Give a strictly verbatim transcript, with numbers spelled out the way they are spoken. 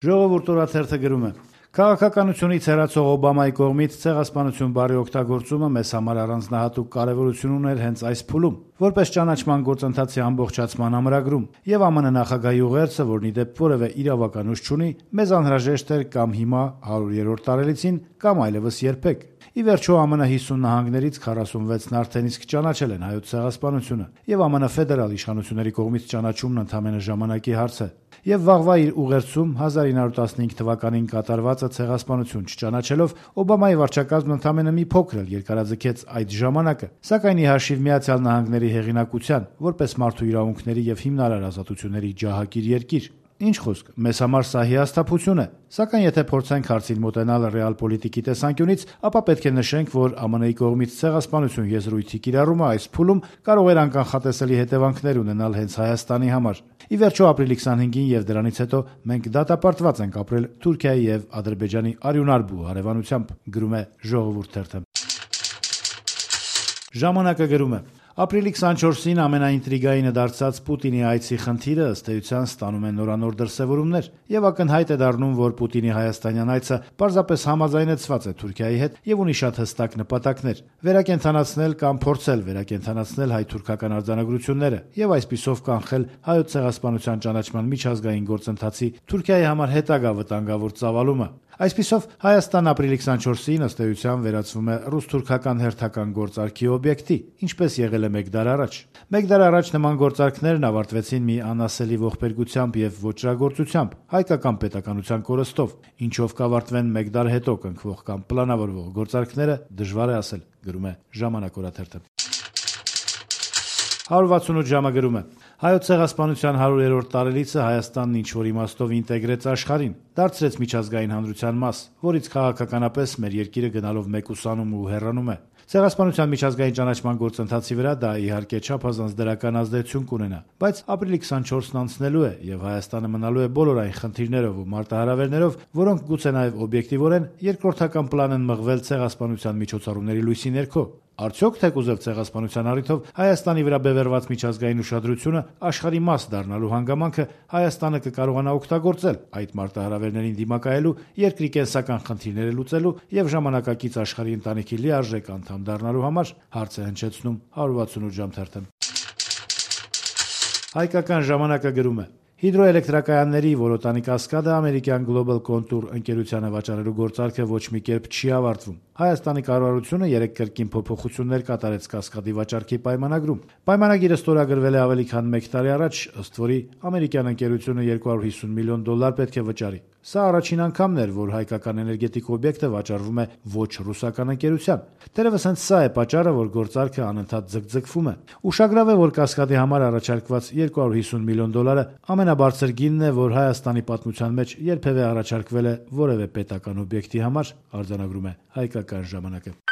Ժողովուրդ օրաթերթը գրում է. Քաղաքականությունից հեռացող Օբամայի կողմից ցեղասպանություն բառի օգտագործումը մեզ համար առանձնահատուկ կարևորություն ուներ հենց այս փուլում, որպես ճանաչման գործընթացի ամբողջացման ամրագրում, եւ ԱՄՆ նախագահի ուղերձը, որն ի դեպ որևէ իրավական ուժ չունի, մեզ անհրաժեշտ էր կամ հիմա հարյուրերորդ տարելիցին, կամ այլևս երբեք։ Ի վերջո ԱՄՆ հիսուն նահանգներից քառասունվեցն արդեն իսկ ճանաչել են հայոց ցեղասպանությունը, եւ ԱՄՆ ֆեդերալ իշխանությունների կողմից ճանաչումն ընդամենը ժամանակի հարց է։ Եվ վաղվա իր ուղերձում հազար ինը հարյուր տասնհինգ թվականին կատարվածը ցեղասպանություն չճանաչելով Օբամայի վարչակազմն ընդամենը մի փոքր էլ երկարաձգեց այդ ժամանակը, սակայն ի հաշիվ Միացյալ Նահանգների հեղինակության, որպես մարդու իրավունքների եւ հիմնարար ազատությունների ջահակիր երկիր։ Ինչ խոսք, մեզ համար սա հիասթափություն է, սակայն եթե փորձենք հարցին մոտենալ ռեալ պոլիտիկի տեսանկյունից, ապա պետք է նշենք, որ ԱՄՆ-ի կողմից ցեղասպանություն եզրույթի կիրառումը այս փուլում կարող էր անկանխատեսելի հետևանքներ ունենալ հենց Հայաստանի համար։ Ի վերջո ապրիլի քսանհինգին եւ դրանից հետո մենք դատապարտված ենք ապրել Թուրքիայի եւ Ադրբեջանի արյունարբու հարևանությամբ, գրում է Ժողովուրդ թերթը։ Ժամանակը գրում է. Ապրիլի քսանչորսին ամենաինտրիգայինը դարձած Պուտինի այցի խնդիրը ըստ էության ստանում է նորանոր դրսևորումներ, եւ ակնհայտ է դառնում, որ Պուտինի հայաստանյան այցը պարզապես համաձայնեցված է Թուրքիայի հետ եւ ունի շատ հստակ նպատակներ՝ վերակենդանացնել կամ փորձել վերակենդանացնել հայ-թուրքական արձանագրությունները եւ այսպիսով կանխել հայոց ցեղասպանության ճանաչման միջազգային գործընթացի Թուրքիայի համար հետագա վտանգավոր ծավալումը։ Այսպիսով Հայաստան ապրիլի քսանչորսին ըստ էության վերածվում է ռուս-թուրքական հերթական գործարքի օբյեկտի, ինչպես եղել է մեկ դար առաջ։ Մեկ դար առաջ նման գործարքներն ավարտվեցին մի անասելի ողբերգությամբ եւ ոճրագործությամբ, հայկական պետականության կորստով, ինչով կավարտվեն մեկ դար հետո կնքվող կամ պլանավորվող գործարքները, դժվար է ասել, գրում է Ժամանակ օրաթերթը։ հարյուր վաթսունութ ժամը գրում է. Հայոց ցեղասպանության հարյուրերորդ տարելիցը Հայաստանն ինչ-որ իմաստով ինտեգրեց աշխարհին, դարձրեց միջազգային հանրության մաս, որից քաղաքականապես մեր երկիրը գնալով մեկուսանում ու հեռանում է։ Ցեղասպանության միջազգային ճանաչման գործընթացի վրա դա իհարկե չափազանց դրական ազդեցություն կունենա, բայց ապրիլի քսանչորսն անցնելու է եւ Հայաստանը մնալու է բոլոր այն խնդիրներով ու մարտահրավերներով, որոնք գուցե նաեւ օբյեկտիվորեն երկրորդական պլան են մղվել ցեղասպանության միջոցառումների լույսի ներքո։ Արդյոք թեկուզև ցեղասպանության առիթով Հայաստանի վրա բևեռված միջազգային ուշադրությունը աշխարհի մաս դառնալու հանգամանքը Հայաստանը կկարողանա օգտագործել այդ մարտահրավերներին դիմակայելու, երկրի կենսական խնդիրները լուծելու եւ ժամանակակից աշխարհի ընտանիքի լիարժեք անդամ դառնալու համար, հարց է հնչեցնում հարյուր վաթսունութ ժամ թերթը։ Հայկական ժամանակը գրում է. Հիդրոէլեկտրակայանների Որոտանի կասկադը ամերիկյան Global Contour ընկերությանը վաճառելու գործարքը ոչ մի կերպ չի ավարտվում։ Հայաստանի կառավարությունը երեք կրկին փոփոխություններ կատարեց կասկադի վաճառքի պայմանագրում։ Պայմանագիրը ստորագրվել է ավելի քան մեկ տարի առաջ, ըստ որի ամերիկյան ընկերությունը երկու հարյուր հիսուն միլիոն դոլար պետք է վճարի։ Սա առաջին անգամն էր, որ հայկական էներգետիկ օբյեկտը վաճառվում է ոչ ռուսական ընկերության։ Թերևս հենց սա է պատճառը, որ գործարքը անընդհատ ձգձգվում է։ Ուշագրավ է, որ կասկադի համար առաջարկված երկու հարյուր հիսուն միլիոն դոլարը ամենաբարձր գինն է, որ Հայաստանի պատմության մեջ երբևէ առաջարկվել է որևէ պետական օբյեկտի համար, արձանագրում է Հայկական ժամանակը։